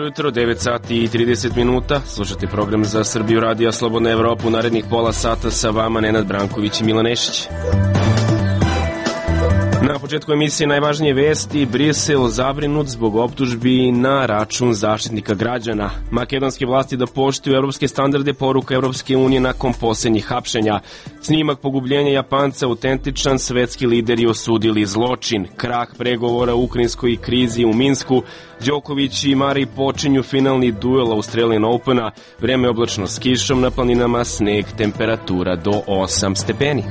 jutro, 9 sati i 30 minuta. Slušate program za Srbiju radija Slobodna Evropa. U narednih pola sata sa vama Nenad Branković i Milan Nešić. Na početku emisije najvažnije vesti. Brisel zabrinut zbog optužbi na račun Zaštitnika građana. Makedonske vlasti da poštuju evropske standarde, poruka Evropske unije nakon posljednjih hapšenja. Snimak pogubljenja Japanca autentičan, svetski lideri osudili zločin. Krah pregovora u ukrajinskoj krizi u Minsku. Đoković i Murray počinju finalni duel Australian Opena. Vreme oblačno s kišom, na planinama sneg, temperatura do 8 stepeni.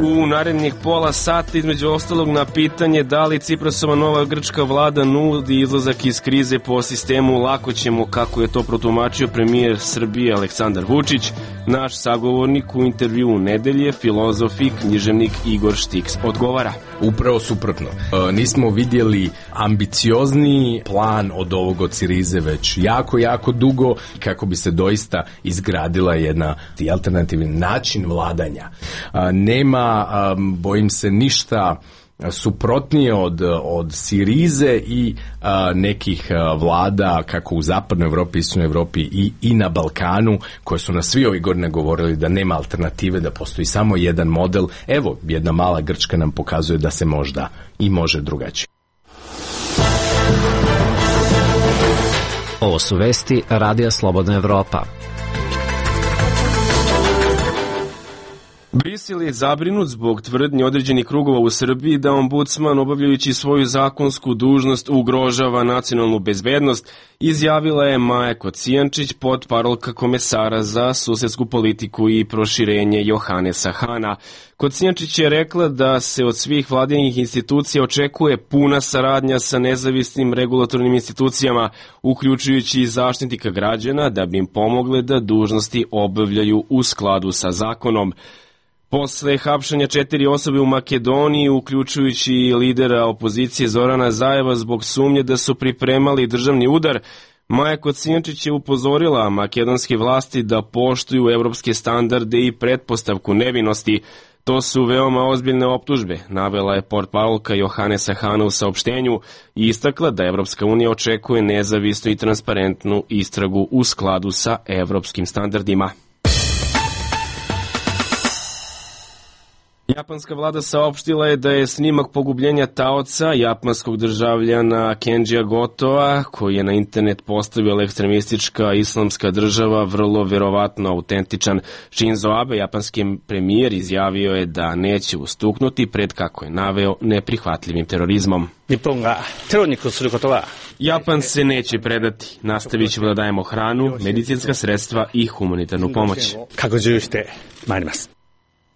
U narednih pola sata, između ostalog, na pitanje da li Ciprasova nova grčka vlada nudi izlazak iz krize po sistemu lako ćemo, kako je to protumačio premijer Srbije Aleksandar Vučić. Naš sagovornik u intervjuu nedelje, filozof i književnik Igor Štiks, odgovara. Upravo suprotno. Nismo vidjeli ambiciozniji plan od ovog od Sirize već jako dugo, kako bi se doista izgradila jedna alternativni način vladanja. Nema, bojim se, ništa suprotnije od Sirize i nekih vlada kako u zapadnoj Evropi, istočnoj Evropi i na Balkanu, koje su nas svi ovih godina govorili da nema alternative, da postoji samo jedan model. Evo, jedna mala Grčka nam pokazuje da se možda i može drugačije. Ovo su vesti Radija Slobodna Evropa. Brisel je zabrinut zbog tvrdnji određenih krugova u Srbiji da ombudsman, obavljajući svoju zakonsku dužnost, ugrožava nacionalnu bezbednost, izjavila je Maja Kocijančić, potparolka komesara za susedsku politiku i proširenje Johanesa Hana. Kocijančić je rekla da se od svih vladinih institucija očekuje puna saradnja sa nezavisnim regulatornim institucijama, uključujući i Zaštitnika građana, da bi im pomogle da dužnosti obavljaju u skladu sa zakonom. Posle hapšenja 4 osobe u Makedoniji, uključujući i lidera opozicije Zorana Zajeva zbog sumnje da su pripremali državni udar, Maja Kocijančić je upozorila makedonske vlasti da poštuju evropske standarde i pretpostavku nevinosti. To su veoma ozbiljne optužbe, navela je portparolka Johanesa Hana u saopštenju i istakla da Evropska unija očekuje nezavisnu i transparentnu istragu u skladu sa evropskim standardima. Japanska vlada saopštila je da je snimak pogubljenja taoca japanskog državljana Kenjija Gotoa, koji je na internet postavila ekstremistička islamska država, vrlo verovatno autentičan. Shinzo Abe, japanski premijer, izjavio je da neće ustuknuti pred, kako je naveo, neprihvatljivim terorizmom. Japan se neće predati. Nastavit ćemo da dajemo hranu, medicinska sredstva i humanitarnu pomoć.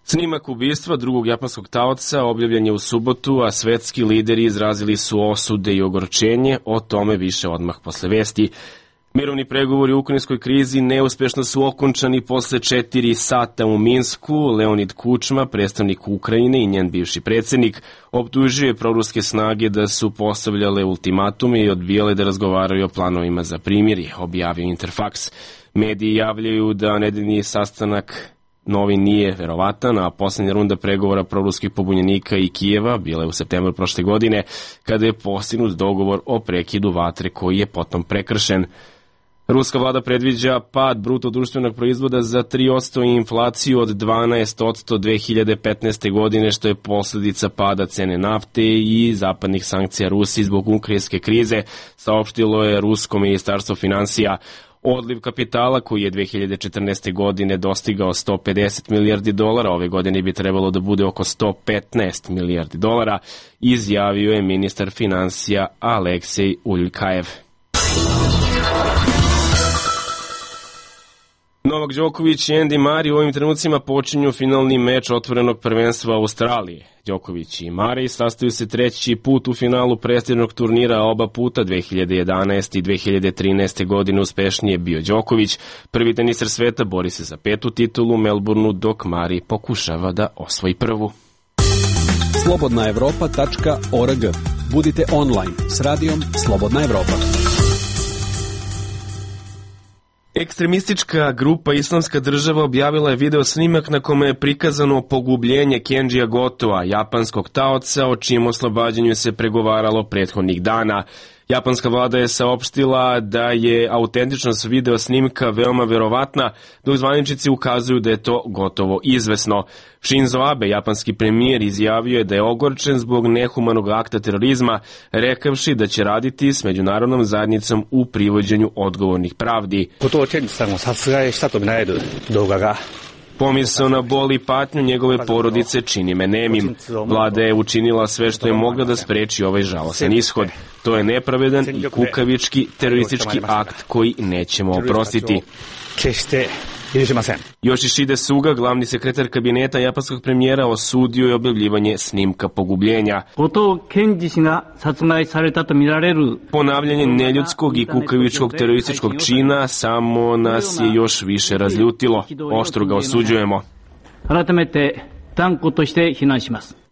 Snimak ubistva drugog japanskog taoca objavljen je u subotu, a svetski lideri izrazili su osude i ogorčenje, o tome više odmah posle vesti. Mirovni pregovori u ukrajinskoj krizi neuspešno su okončani posle 4 sata u Minsku. Leonid Kučma, predstavnik Ukrajine i njen bivši predsjednik, optužio je proruske snage da su postavljale ultimatume i odbijale da razgovaraju o planovima za primirje, objavio Interfax. Mediji javljaju da nedeljni sastanak novi nije verovatan, a posljednja runda pregovora proruskih pobunjenika i Kijeva bila je u septembru prošle godine, kada je postignut dogovor o prekidu vatre koji je potom prekršen. Ruska vlada predviđa pad bruto društvenog proizvoda za 3% i inflaciju od 12% 2015. godine, što je posljedica pada cene nafte i zapadnih sankcija Rusiji zbog ukrajinske krize, saopštilo je rusko ministarstvo finansija. Odliv kapitala, koji je 2014. godine dostigao $150 milijardi, ove godine bi trebalo da bude oko $115 milijardi, izjavio je ministar finansija Aleksej Uljkajev. Novak Đoković i Andy Murray u ovim trenucima počinju finalni meč otvorenog prvenstva Australije. Đoković i Murray sastaju se treći put u finalu prestižnog turnira, oba puta 2011. i 2013. godine uspešnije bio Đoković. Prvi teniser sveta bori se za 5. titulu u Melbourneu, dok Murray pokušava da osvoji prvu. slobodnaevropa.org. Budite online s radijom Slobodna Evropa. Ekstremistička grupa Islamska država objavila je video snimak na kome je prikazano pogubljenje Kenjija Gotoa, japanskog taoca, o čijem oslobađanju se pregovaralo prethodnih dana. Japanska vlada je saopštila da je autentičnost video snimka veoma verovatna, dok zvaničnici ukazuju da je to gotovo izvesno. Shinzo Abe, japanski premijer, izjavio je da je ogorčen zbog nehumanog akta terorizma, rekavši da će raditi s međunarodnom zajednicom u privođenju odgovornih pravdi. Pomisao na bol i patnju njegove porodice čini me nemim. Vlada je učinila sve što je mogla da spreči ovaj žalosan ishod. To je nepravedan i kukavički teroristički akt koji nećemo oprostiti. Yoshihide Suga, glavni sekretar kabineta japanskog premijera, osudio je objavljivanje snimka pogubljenja. Ponavljanje neljudskog i kukavičkog terorističkog čina samo nas je još više razljutilo. Oštro ga osuđujemo.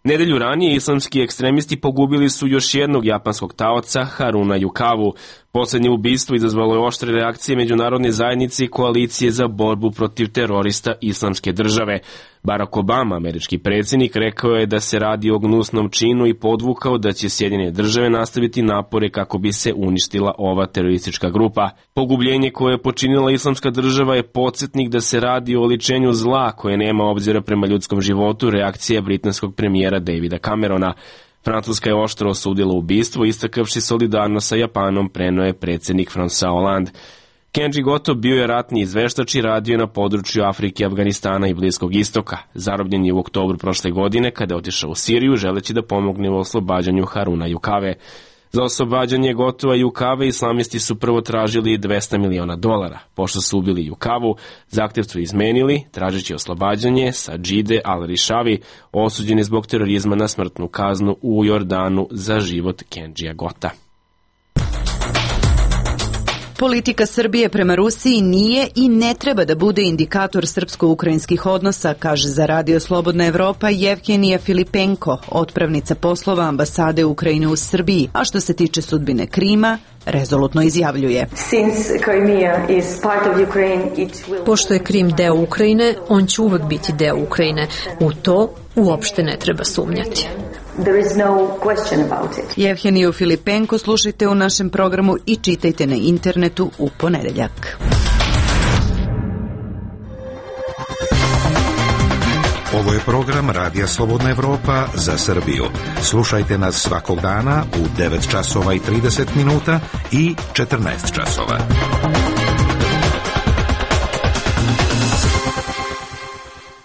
Nedelju ranije islamski ekstremisti pogubili su još jednog japanskog taoca, Haruna Yukavu. Poslednje ubistvo izazvalo je oštre reakcije međunarodne zajednice i koalicije za borbu protiv terorista Islamske države. Barack Obama, američki predsjednik, rekao je da se radi o gnusnom činu i podvukao da će Sjedinjene države nastaviti napore kako bi se uništila ova teroristička grupa. Pogubljenje koje je počinila Islamska država je podsjetnik da se radi o oličenju zla koje nema obzira prema ljudskom životu, reakcija britanskog premijera Davida Camerona. Francuska je oštro osudila ubistvo, istakavši solidarnost sa Japanom, preneo je predsjednik François Hollande. Kenji Goto bio je ratni izveštač i radio na području Afrike, Afganistana i Bliskog istoka. Zarobljen je u oktobru prošle godine kada je otišao u Siriju želeći da pomogne u oslobađanju Haruna Yukave. Za oslobađanje Gotova i Yukave islamisti su prvo tražili $200 miliona. Pošto su ubili Yukavu, zahtjev su izmenili, tražeći oslobađanje Sadžide al-Rišavi, osuđeni zbog terorizma na smrtnu kaznu u Jordanu za život Kenjija Gota. Politika Srbije prema Rusiji nije i ne treba da bude indikator srpsko-ukrajinskih odnosa, kaže za Radio Slobodna Evropa Jevhenija Filipenko, otpravnica poslova ambasade Ukrajine u Srbiji, a što se tiče sudbine Krima, rezolutno izjavljuje. Pošto je Krim deo Ukrajine, on će uvek biti deo Ukrajine. U to uopšte ne treba sumnjati. Jevheniju Filipenko slušajte u našem programu i čitajte na internetu u ponedeljak. Ovo je program Radija Slobodna Evropa za Srbiju. Slušajte nas svakog dana u 9 časova i 30 minuta i 14 časova.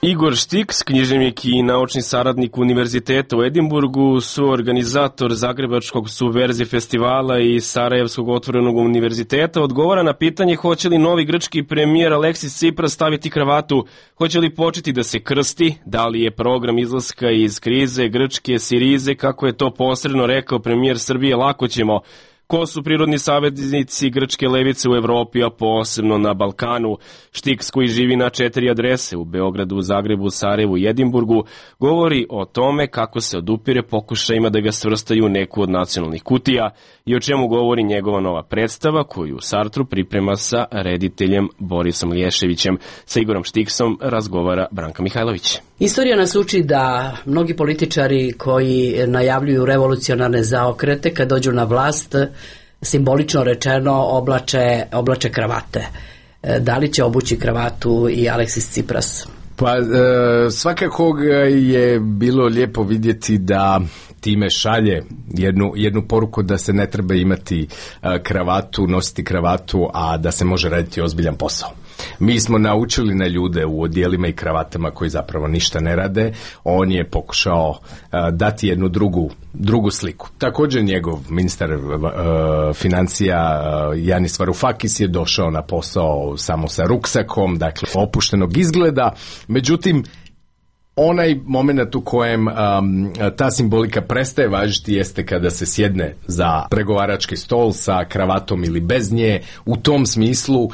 Igor Štiks, književnik i naučni saradnik Univerziteta u Edinburgu, suorganizator Zagrebačkog Subverzije festivala i Sarajevskog otvorenog univerziteta, odgovara na pitanje hoće li novi grčki premijer Aleksis Tsipras staviti kravatu, hoće li početi da se krsti, da li je program izlaska iz krize grčke Sirize, kako je to posredno rekao premijer Srbije, lako ćemo. Ko su prirodni saveznici grčke levice u Evropi, a posebno na Balkanu? Štiks, koji živi na 4 adrese u Beogradu, Zagrebu, Sarajevu i Edinburgu, govori o tome kako se odupire pokušajima da ga svrstaju u neku od nacionalnih kutija i o čemu govori njegova nova predstava koju u Sartru priprema sa rediteljem Borisom Lješevićem. Sa Igorom Štiksom razgovara Branka Mihajlović. Istorija nas uči da mnogi političari koji najavljuju revolucionarne zaokrete kad dođu na vlast, simbolično rečeno oblače kravate. Da li će obući kravatu i Aleksis Tsipras? Pa svakako je bilo lijepo vidjeti da time šalje jednu poruku da se ne treba imati kravatu, nositi kravatu, a da se može raditi ozbiljan posao. Mi smo naučili na ljude u odijelima i kravatama koji zapravo ništa ne rade. On je pokušao dati jednu drugu sliku. Također njegov ministar financija Janis Varoufakis je došao na posao samo sa ruksakom, dakle opuštenog izgleda. Međutim, onaj moment u kojem ta simbolika prestaje važiti jeste kada se sjedne za pregovarački stol sa kravatom ili bez nje. U tom smislu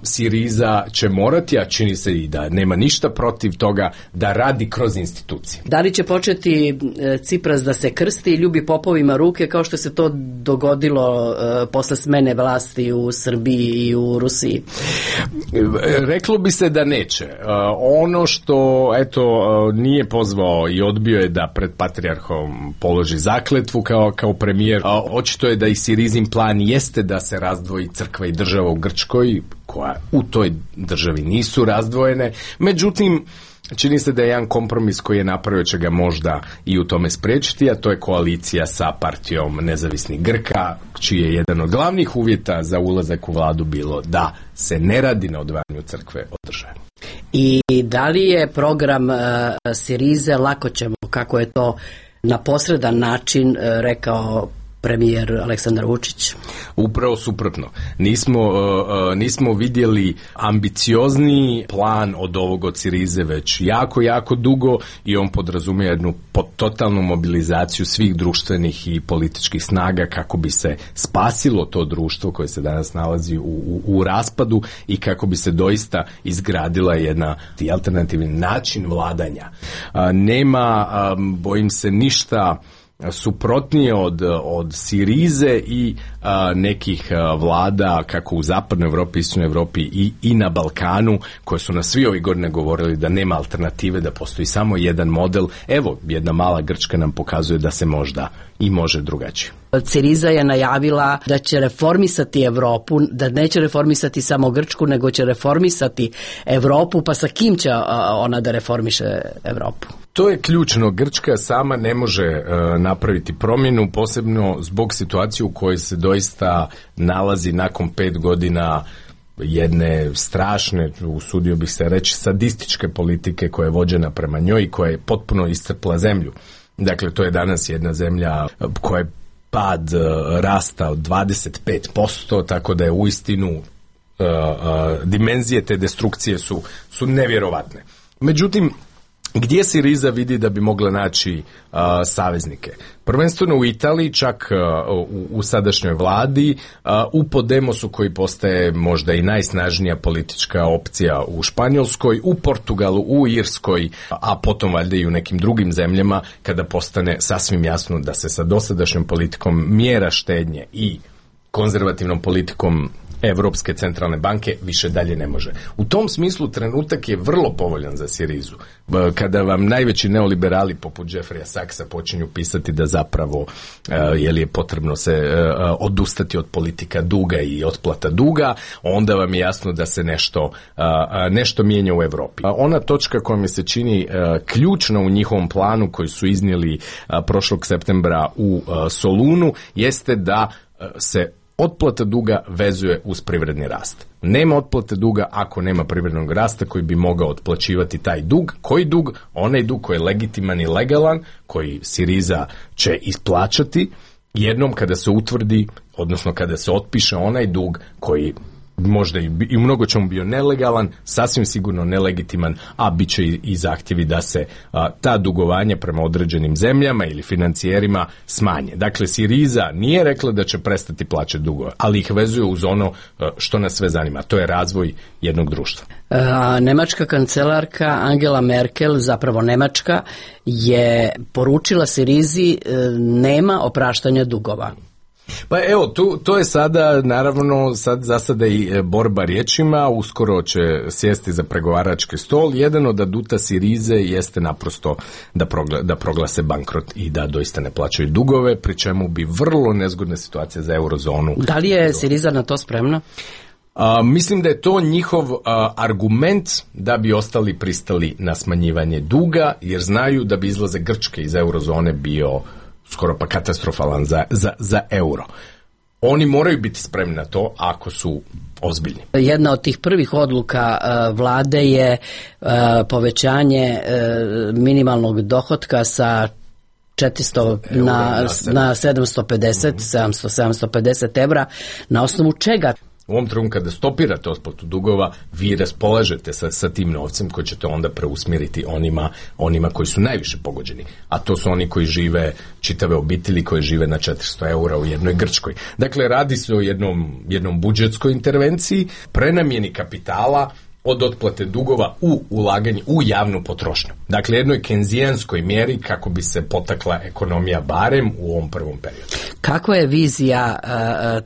Siriza će morati, a čini se i da nema ništa protiv toga, da radi kroz institucije. Da li će početi Tsipras da se krsti i ljubi popovima ruke kao što se to dogodilo posle smene vlasti u Srbiji i u Rusiji? Reklo bi se da neće. Ono što, eto, nije pozvao i odbio je da pred patrijarhom položi zakletvu kao premijer. Očito je da i Sirizin plan jeste da se razdvoji crkva i država u Grčkoj, koja u toj državi nisu razdvojene. Međutim, čini se da je jedan kompromis koji je napravio će ga možda i u tome spriječiti, a to je koalicija sa partijom nezavisnih Grka, čiji je jedan od glavnih uvjeta za ulazak u vladu bilo da se ne radi na odvajanju crkve od države. I da li je program Sirize, lako ćemo, kako je to na posredan način rekao premijer Aleksandar Vučić? Upravo suprotno. Nismo vidjeli ambiciozniji plan od ovog od Sirize već jako dugo i on podrazumije jednu totalnu mobilizaciju svih društvenih i političkih snaga kako bi se spasilo to društvo koje se danas nalazi u raspadu i kako bi se doista izgradila jedna alternativni način vladanja. Nema, bojim se, ništa suprotnije od Sirize i nekih vlada kako u zapadnoj Europi, istočnoj Europi i na Balkanu, koje su nas svi ovih godine govorili da nema alternative, da postoji samo jedan model. Evo, jedna mala Grčka nam pokazuje da se možda i može drugačije. Siriza je najavila da će reformisati Europu, da neće reformisati samo Grčku, nego će reformisati Europu, pa sa kim će ona da reformiše Europu? To je ključno. Grčka sama ne može napraviti promjenu, posebno zbog situacije u kojoj se doista nalazi nakon 5 godina jedne strašne, usudio bih se reći, sadističke politike koja je vođena prema njoj i koja je potpuno iscrpla zemlju. Dakle, to je danas jedna zemlja koja je pad rasta od 25%, tako da je uistinu dimenzije te destrukcije su nevjerovatne. Međutim, gdje Siriza vidi da bi mogla naći saveznike? Prvenstveno u Italiji, čak u sadašnjoj vladi, u Podemosu koji postaje možda i najsnažnija politička opcija u Španjolskoj, u Portugalu, u Irskoj, a potom valjda i u nekim drugim zemljama, kada postane sasvim jasno da se sa dosadašnjom politikom mjera štednje i konzervativnom politikom Europske centralne banke više dalje ne može. U tom smislu trenutak je vrlo povoljan za Sirizu. Kada vam najveći neoliberali poput Jeffreya Sachsa počinju pisati da zapravo je potrebno se odustati od politika duga i otplata duga, onda vam je jasno da se nešto mijenja u Europi. Ona točka koja mi se čini ključna u njihovom planu koji su iznijeli prošlog septembra u Solunu jeste da se otplata duga vezuje uz privredni rast. Nema otplate duga ako nema privrednog rasta koji bi mogao otplaćivati taj dug. Koji dug? Onaj dug koji je legitiman i legalan, koji Siriza će isplaćati jednom kada se utvrdi, odnosno kada se otpiše onaj dug koji možda i u mnogo čemu bio nelegalan, sasvim sigurno nelegitiman, a bit će i zahtjevi da se ta dugovanja prema određenim zemljama ili financijerima smanje. Dakle, Siriza nije rekla da će prestati plaćati dugove, ali ih vezuje uz ono što nas sve zanima, to je razvoj jednog društva. Nemačka kancelarka Angela Merkel, zapravo Nemačka, je poručila Sirizi nema opraštanja dugova. Pa evo, to je sada, naravno, za sada i borba riječima, uskoro će sjesti za pregovarački stol. Jedan od aduta Sirize jeste naprosto da proglase bankrot i da doista ne plaćaju dugove, pri čemu bi vrlo nezgodna situacija za eurozonu. Da li je Siriza na to spremna? Mislim da je to njihov argument da bi ostali pristali na smanjivanje duga, jer znaju da bi izlazak Grčke iz eurozone bio skoro pa katastrofalan za euro. Oni moraju biti spremni na to ako su ozbiljni. Jedna od tih prvih odluka vlade je povećanje minimalnog dohotka sa 400 na 750 evra. Na osnovu čega? U ovom trenutku kada stopirate otplatu dugova, vi raspolažete sa tim novcem koji ćete onda preusmjeriti onima koji su najviše pogođeni. A to su oni koji žive, čitave obitelji koji žive na 400 eura u jednoj Grčkoj. Dakle, radi se o jednom budžetskoj intervenciji, prenamjeni kapitala od otplate dugova u ulaganje u javnu potrošnju. Dakle, jednoj kenzijanskoj mjeri kako bi se potakla ekonomija barem u ovom prvom periodu. Kakva je vizija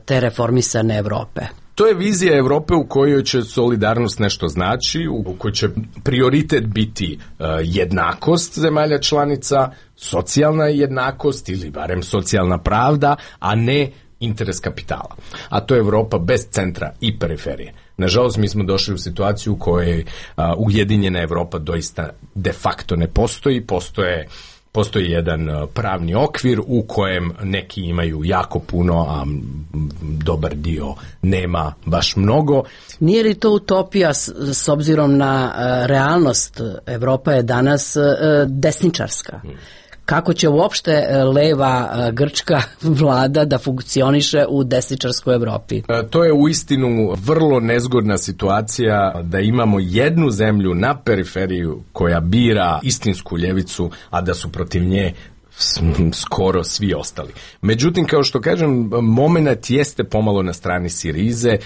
te reformisane Europe? To je vizija Europe u kojoj će solidarnost nešto znači, u kojoj će prioritet biti jednakost zemalja članica, socijalna jednakost ili barem socijalna pravda, a ne interes kapitala. A to je Europa bez centra i periferije. Nažalost, mi smo došli u situaciju u kojoj ujedinjena Europa doista de facto ne postoji. Postoji jedan pravni okvir u kojem neki imaju jako puno, a dobar dio nema baš mnogo. Nije li to utopija s obzirom na realnost? Evropa je danas desničarska. Kako će uopšte leva grčka vlada da funkcioniše u desničarskoj Evropi? To je uistinu vrlo nezgodna situacija da imamo jednu zemlju na periferiju koja bira istinsku ljevicu, a da su protiv nje skoro svi ostali. Međutim, kao što kažem, moment jeste pomalo na strani Sirize,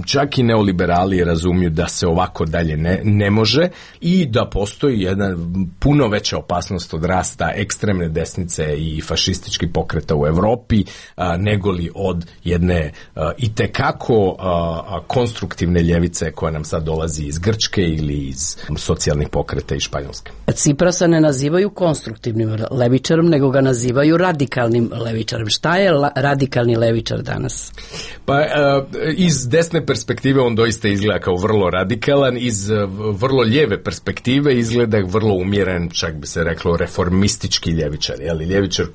čak i neoliberali razumiju da se ovako dalje ne može i da postoji jedna puno veća opasnost od rasta ekstremne desnice i fašističkih pokreta u Europi negoli od jedne itekako konstruktivne ljevice koja nam sad dolazi iz Grčke ili iz socijalnih pokreta iz Španjolske. Ciprasa ne nazivaju konstruktivnim levičarom, nego ga nazivaju radikalnim levičarem. Šta je radikalni levičar danas? Pa iz desne perspektive on doista izgleda kao vrlo radikalan, iz vrlo lijeve perspektive izgleda vrlo umjeren, čak bi se reklo reformistički ljevičar, ljevičar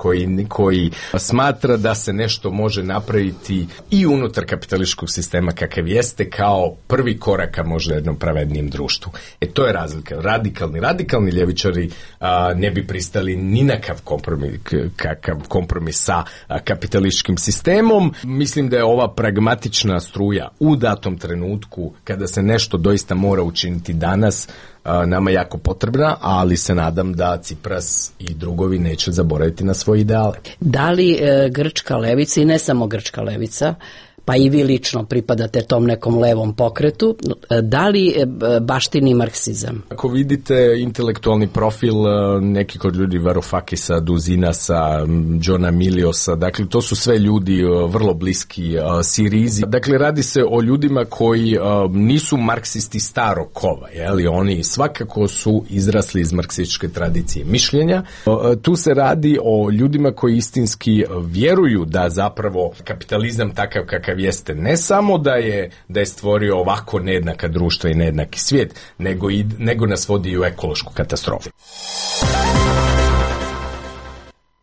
koji smatra da se nešto može napraviti i unutar kapitalističkog sistema kakav jeste kao prvi korak ka možda jednom pravednijem društvu. To je razlika. Radikalni ljevičari ne bi pristali ni na kakav kompromis sa kapitalističkim sistemom. Mislim da je ova pragmatična struja u datom trenutku kada se nešto doista mora učiniti danas nama jako potrebna, ali se nadam da Cipras i drugovi neće zaboraviti na svoje ideale. Da li grčka levica i ne samo grčka levica, pa i vi lično pripadate tom nekom levom pokretu, da li baštini marksizam? Ako vidite intelektualni profil nekih od ljudi Varoufakisa, Duzinasa, Johna Miliosa, dakle to su sve ljudi vrlo bliski Sirizi. Dakle, radi se o ljudima koji nisu marksisti starog kova, oni svakako su izrasli iz marksističke tradicije mišljenja. Tu se radi o ljudima koji istinski vjeruju da zapravo kapitalizam takav kakav jeste ne samo da je stvorio ovako nejednaka društva i nejednaki svijet, nego nas vodi i u ekološku katastrofu.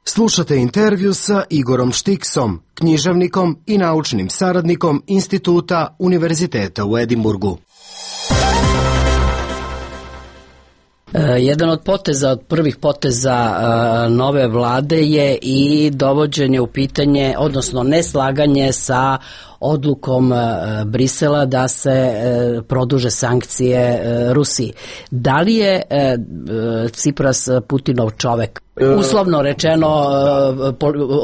Slušate intervju sa Igorom Štiksom, književnikom i naučnim saradnikom Instituta Univerziteta u Edinburgu. Jedan od prvih poteza nove vlade je i dovođenje u pitanje, odnosno neslaganje sa odlukom Brisela da se produže sankcije Rusiji. Da li je Cipras Putinov čovek? Uslovno rečeno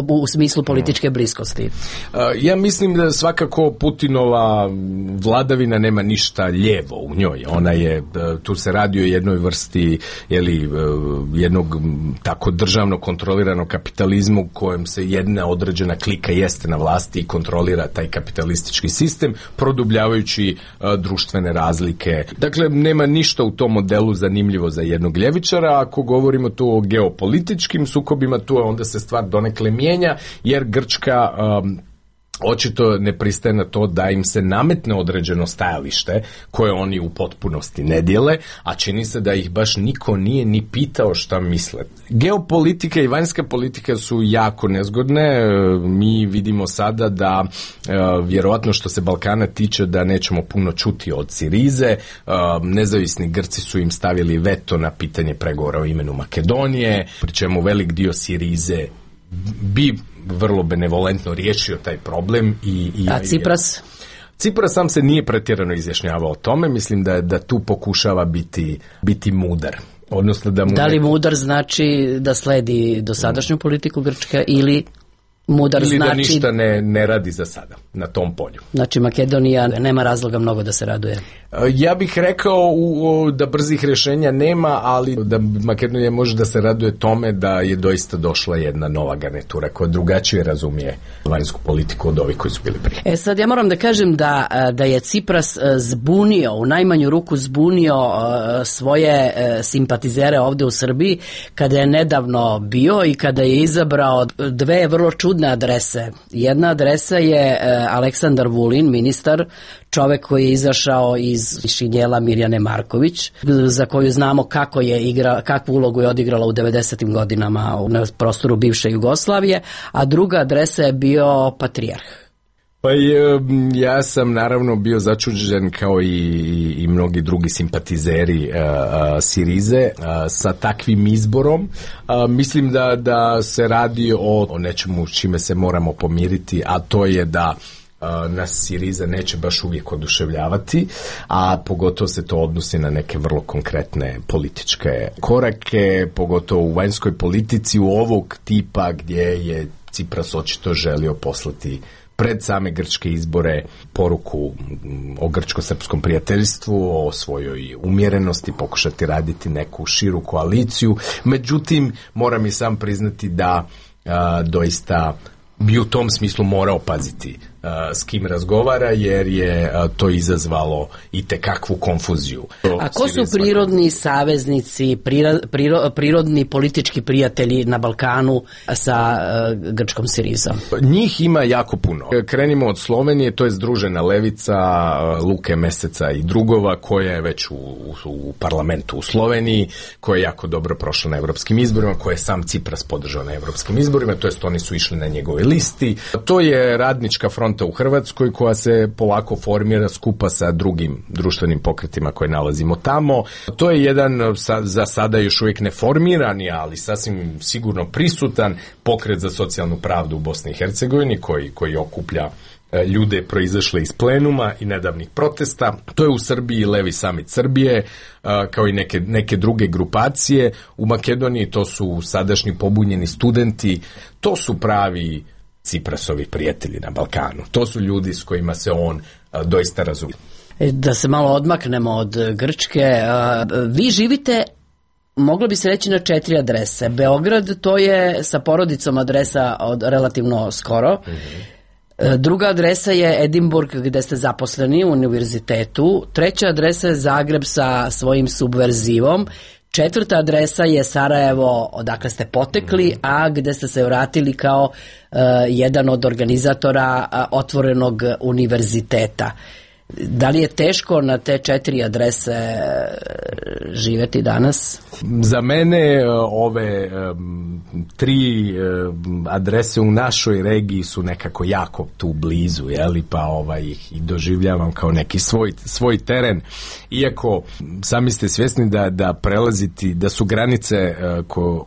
u smislu političke bliskosti. Ja mislim da svakako Putinova vladavina nema ništa lijevo u njoj. Ona je, tu se radi o jednoj vrsti jednog tako državno kontroliranog kapitalizmu kojem se jedna određena klika jeste na vlasti i kontrolira taj kapitalistički sistem, produbljavajući društvene razlike. Dakle, nema ništa u tom modelu zanimljivo za jednog ljevičara. Ako govorimo tu o geopolitičkim sukobima, tu onda se stvar donekle mijenja, jer Grčka očito ne pristaje na to da im se nametne određeno stajalište koje oni u potpunosti ne dijele, a čini se da ih baš niko nije ni pitao šta misle. Geopolitika i vanjska politika su jako nezgodne. Mi vidimo sada da vjerovatno što se Balkana tiče da nećemo puno čuti od Sirize. Nezavisni Grci su im stavili veto na pitanje pregovora o imenu Makedonije, pri čemu velik dio Sirize bi vrlo benevolentno riješio taj problem. A Cipras? Cipras sam se nije pretjerano izjašnjavao o tome. Mislim da tu pokušava biti mudar. Odnosno da li mudar znači da sledi dosadašnju politiku Grčke ili... Mudar ili znači... da ništa ne radi za sada na tom polju. Znači Makedonija nema razloga mnogo da se raduje. Ja bih rekao da brzih rješenja nema, ali da Makedonija može da se raduje tome da je doista došla jedna nova garnitura koja drugačije razumije vanjsku politiku od ovih koji su bili prije. Sad ja moram da kažem da je Cipras zbunio, u najmanju ruku zbunio svoje simpatizere ovde u Srbiji kada je nedavno bio i kada je izabrao dve vrlo čudne adrese. Jedna adresa je Aleksandar Vulin, ministar, čovek koji je izašao iz šinjela Mirjane Marković, za koju znamo kakvu ulogu je odigrala u 90. godinama na prostoru bivše Jugoslavije, a druga adresa je bio Patrijarh. Pa ja sam naravno bio začuđen kao i mnogi drugi simpatizeri Sirize sa takvim izborom. Mislim da se radi o nečemu čime se moramo pomiriti, a to je da nas Siriza neće baš uvijek oduševljavati, a pogotovo se to odnosi na neke vrlo konkretne političke korake, pogotovo u vanjskoj politici u ovog tipa gdje je Cipras očito želio poslati pred same grčke izbore poruku o grčko-srpskom prijateljstvu, o svojoj umjerenosti, pokušati raditi neku širu koaliciju. Međutim, moram i sam priznati da doista bi u tom smislu morao paziti s kim razgovara, jer je to izazvalo i tekakvu konfuziju. A ko su prirodni saveznici, prirodni politički prijatelji na Balkanu sa grčkom Sirizom? Njih ima jako puno. Krenimo od Slovenije, to je Združena levica Luke Meseca i drugova, koja je već u parlamentu u Sloveniji, koja je jako dobro prošla na evropskim izborima, koja je sam Cipras podržao na evropskim izborima, to jest oni su išli na njegove listi. To je Radnička fronta u Hrvatskoj koja se polako formira skupa sa drugim društvenim pokretima koje nalazimo tamo. To je jedan za sada još uvijek neformirani, ali sasvim sigurno prisutan pokret za socijalnu pravdu u Bosni i Hercegovini koji okuplja ljude proizašle iz plenuma i nedavnih protesta. To je u Srbiji Levi samit Srbije, kao i neke druge grupacije. U Makedoniji to su sadašnji pobunjeni studenti, to su pravi Ciprasovi prijatelji na Balkanu. To su ljudi s kojima se on doista razumije. Da se malo odmaknemo od Grčke, vi živite, moglo bi se reći, na 4 adrese. Beograd, to je sa porodicom adresa od relativno skoro. Druga adresa je Edinburg, gde ste zaposleni u univerzitetu. Treća adresa je Zagreb sa svojim subverzivom. Četvrta adresa je Sarajevo, odakle ste potekli, a gde ste se vratili kao jedan od organizatora otvorenog univerziteta. Da li je teško na te 4 adrese živeti danas? Za mene ove 3 adrese u našoj regiji su nekako jako tu blizu, pa ih i doživljavam kao neki svoj teren. Iako sami ste svjesni da prelaziti, da su granice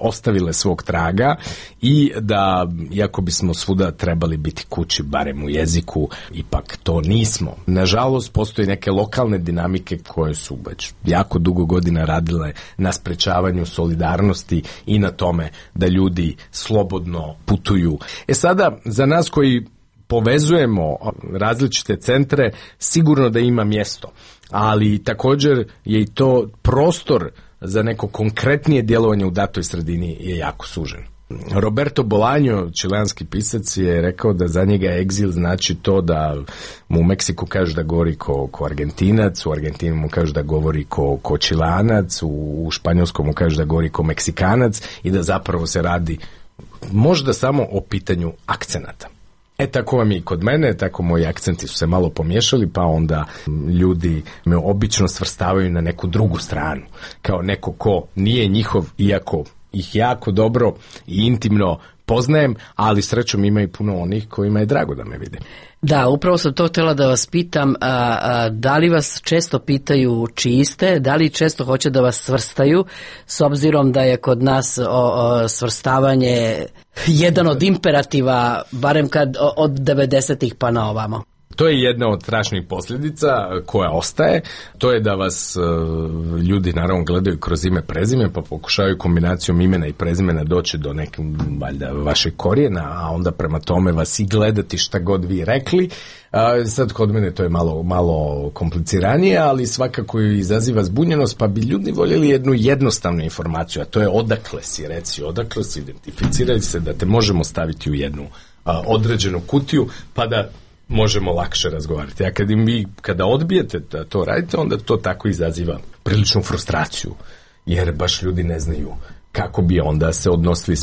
ostavile svog traga i da, iako bismo svuda trebali biti kući, barem u jeziku, ipak to nismo. Nažalost, postoje neke lokalne dinamike koje su već jako dugo godina radile na sprečavanju solidarnosti i na tome da ljudi slobodno putuju. Sada, za nas koji povezujemo različite centre, sigurno da ima mjesto, ali također je i to prostor za neko konkretnije djelovanje u datoj sredini je jako sužen. Roberto Bolaño, čileanski pisac, je rekao da za njega egzil znači to da mu u Meksiku kaže da govori ko Argentinac, u Argentinu mu kaže da govori ko Čileanac, u Španjolskom mu kaže da govori ko Meksikanac i da zapravo se radi možda samo o pitanju akcenata. Tako vam je i kod mene, tako moji akcenti su se malo pomiješali, pa onda ljudi me obično svrstavaju na neku drugu stranu, kao neko ko nije njihov, iako ih jako dobro i intimno poznajem, ali srećom ima i puno onih kojima je drago da me vide. Da, upravo sam to htjela da vas pitam, da li vas često pitaju čiji ste, da li često hoće da vas svrstaju, s obzirom da je kod nas svrstavanje jedan od imperativa, barem kad od 90-ih pa na ovamo. To je jedna od strašnih posljedica koja ostaje. To je da vas ljudi naravno gledaju kroz ime prezime, pa pokušavaju kombinacijom imena i prezimena doći do nekog valjda vašeg korijena, a onda prema tome vas i gledati šta god vi rekli. Sad kod mene to je malo kompliciranije, ali svakako izaziva zbunjenost, pa bi ljudi voljeli jednu jednostavnu informaciju, a to je odakle si, reci odakle si, identificiraj se, da te možemo staviti u jednu određenu kutiju, pa da možemo lakše razgovarati. A kada odbijete da to radite, onda to tako izaziva priličnu frustraciju, jer baš ljudi ne znaju kako bi onda se odnosili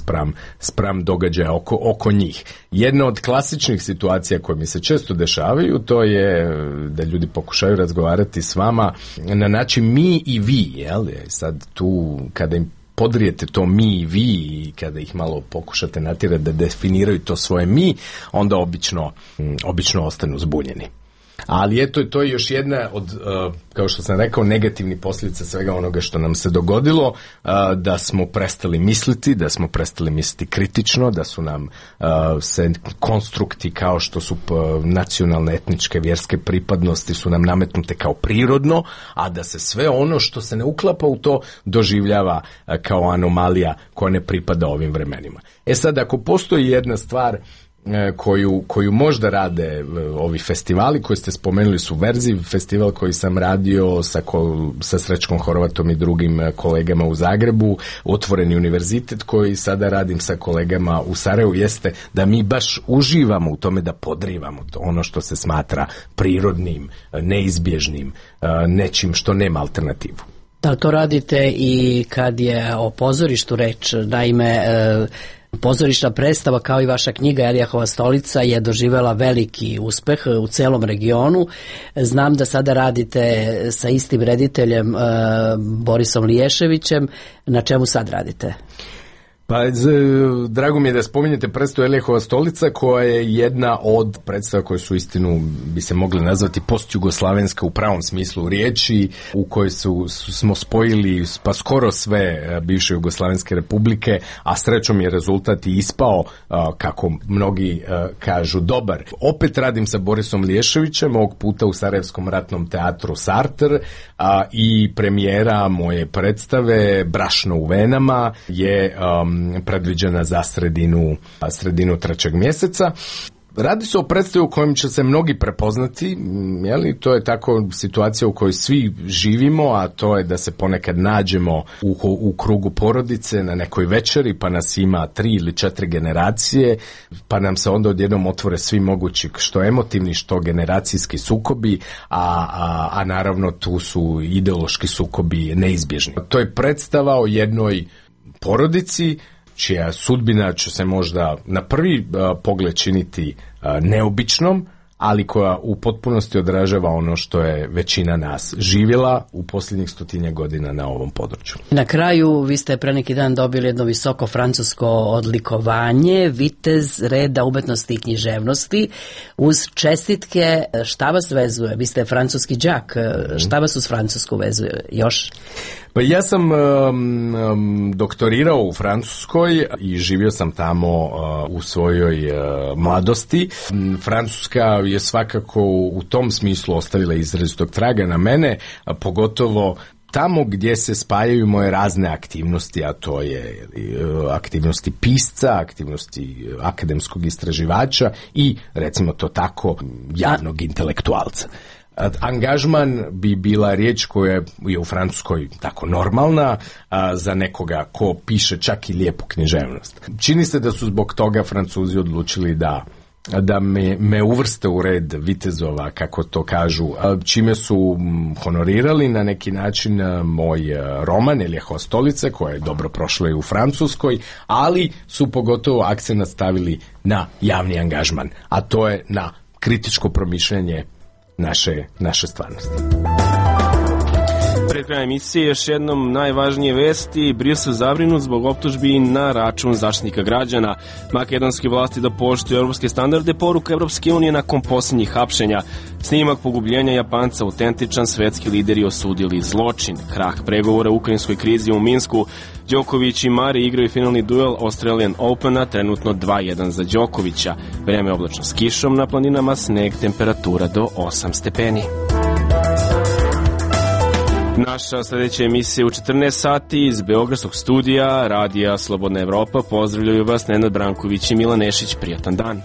spram događaja oko njih. Jedna od klasičnih situacija koje mi se često dešavaju, to je da ljudi pokušaju razgovarati s vama na način mi i vi, jel? Sad tu kada im podrijete to mi i vi i kada ih malo pokušate natjerati da definiraju to svoje mi, onda obično ostanu zbunjeni. Ali eto, to je još jedna od, kao što sam rekao, negativnih posljedica svega onoga što nam se dogodilo, da smo prestali misliti, kritično, da su nam se konstrukti kao što su nacionalne, etničke, vjerske pripadnosti su nam nametnute kao prirodno, a da se sve ono što se ne uklapa u to doživljava kao anomalija koja ne pripada ovim vremenima. Sad, ako postoji jedna stvar koju možda rade ovi festivali koji ste spomenuli, su Verziv festival koji sam radio sa Srećkom Horvatom i drugim kolegama u Zagrebu, Otvoreni univerzitet koji sada radim sa kolegama u Sarajevu, jeste da mi baš uživamo u tome da podrivamo to, ono što se smatra prirodnim, neizbježnim, nečim što nema alternativu. Da, to radite i kad je o pozorištu reč, naime pozorišna predstava kao i vaša knjiga Elijahova stolica je doživjela veliki uspeh u celom regionu. Znam da sada radite sa istim rediteljem Borisom Liješevićem. Na čemu sad radite? Pa, drago mi je da spominjete predstavu Elijahova stolica, koja je jedna od predstava koje su istinu bi se mogli nazvati postjugoslavenska u pravom smislu riječi, u kojoj smo spojili pa skoro sve bivše jugoslavenske republike, a srećom je rezultat i ispao, kako mnogi kažu, dobar. Opet radim sa Borisom Liješevićem, ovog puta u Sarajevskom ratnom teatru Sartr, i premijera moje predstave Brašno u venama je predviđena za sredinu 3. mjeseca. Radi se o predstavi u kojem će se mnogi prepoznati, jeli? To je tako situacija u kojoj svi živimo, a to je da se ponekad nađemo u krugu porodice na nekoj večeri, pa nas ima 3 ili 4 generacije, pa nam se onda odjednom otvore svi mogući što emotivni, što generacijski sukobi, a naravno tu su ideološki sukobi neizbježni. To je predstava o jednoj porodici čija sudbina će se možda na prvi pogled činiti neobičnom, ali koja u potpunosti odražava ono što je većina nas živjela u posljednjih 100 godina na ovom području. Na kraju, vi ste pre neki dan dobili jedno visoko francusko odlikovanje, vitez reda umetnosti i književnosti, uz čestitke. Šta vas vezuje? Vi ste francuski đak, šta vas uz Francusku vezuje još? Pa ja sam doktorirao u Francuskoj i živio sam tamo u svojoj mladosti. Francuska je svakako u tom smislu ostavila izrazitog traga na mene, pogotovo tamo gdje se spajaju moje razne aktivnosti, a to je aktivnosti pisca, aktivnosti akademskog istraživača i, recimo to tako, javnog intelektualca. Angažman bi bila riječ koja je u Francuskoj tako normalna za nekoga ko piše čak i lijepu književnost. Čini se da su zbog toga Francuzi odlučili da me uvrste u red vitezova, kako to kažu, čime su honorirali na neki način moj roman Elijahova stolica, koja je dobro prošla i u Francuskoj, ali su pogotovo akcent stavili na javni angažman, a to je na kritičko promišljanje naše stvarnosti. Pred krajem emisije još jednom najvažnije vesti. Brisel zabrinut zbog optužbi na račun Zaštitnika građana. Makedonske vlasti da poštuju evropske standarde, poruka Evropske unije nakon posljednjih hapšenja. Snimak pogubljenja Japanca autentičan, svetski lideri osudili zločin. Krah pregovora u ukrajinskoj krizi u Minsku. Đoković i Mari igraju finalni duel Australian Opena, trenutno 2-1 za Đokovića. Vreme oblačno s kišom, na planinama sneg, temperatura do 8 stepeni. Naša sljedeća emisija u 14 sati iz Beogradskog studija Radija Slobodna Evropa. Pozdravljaju vas Nenad Branković i Milan Nešić. Prijatan dan.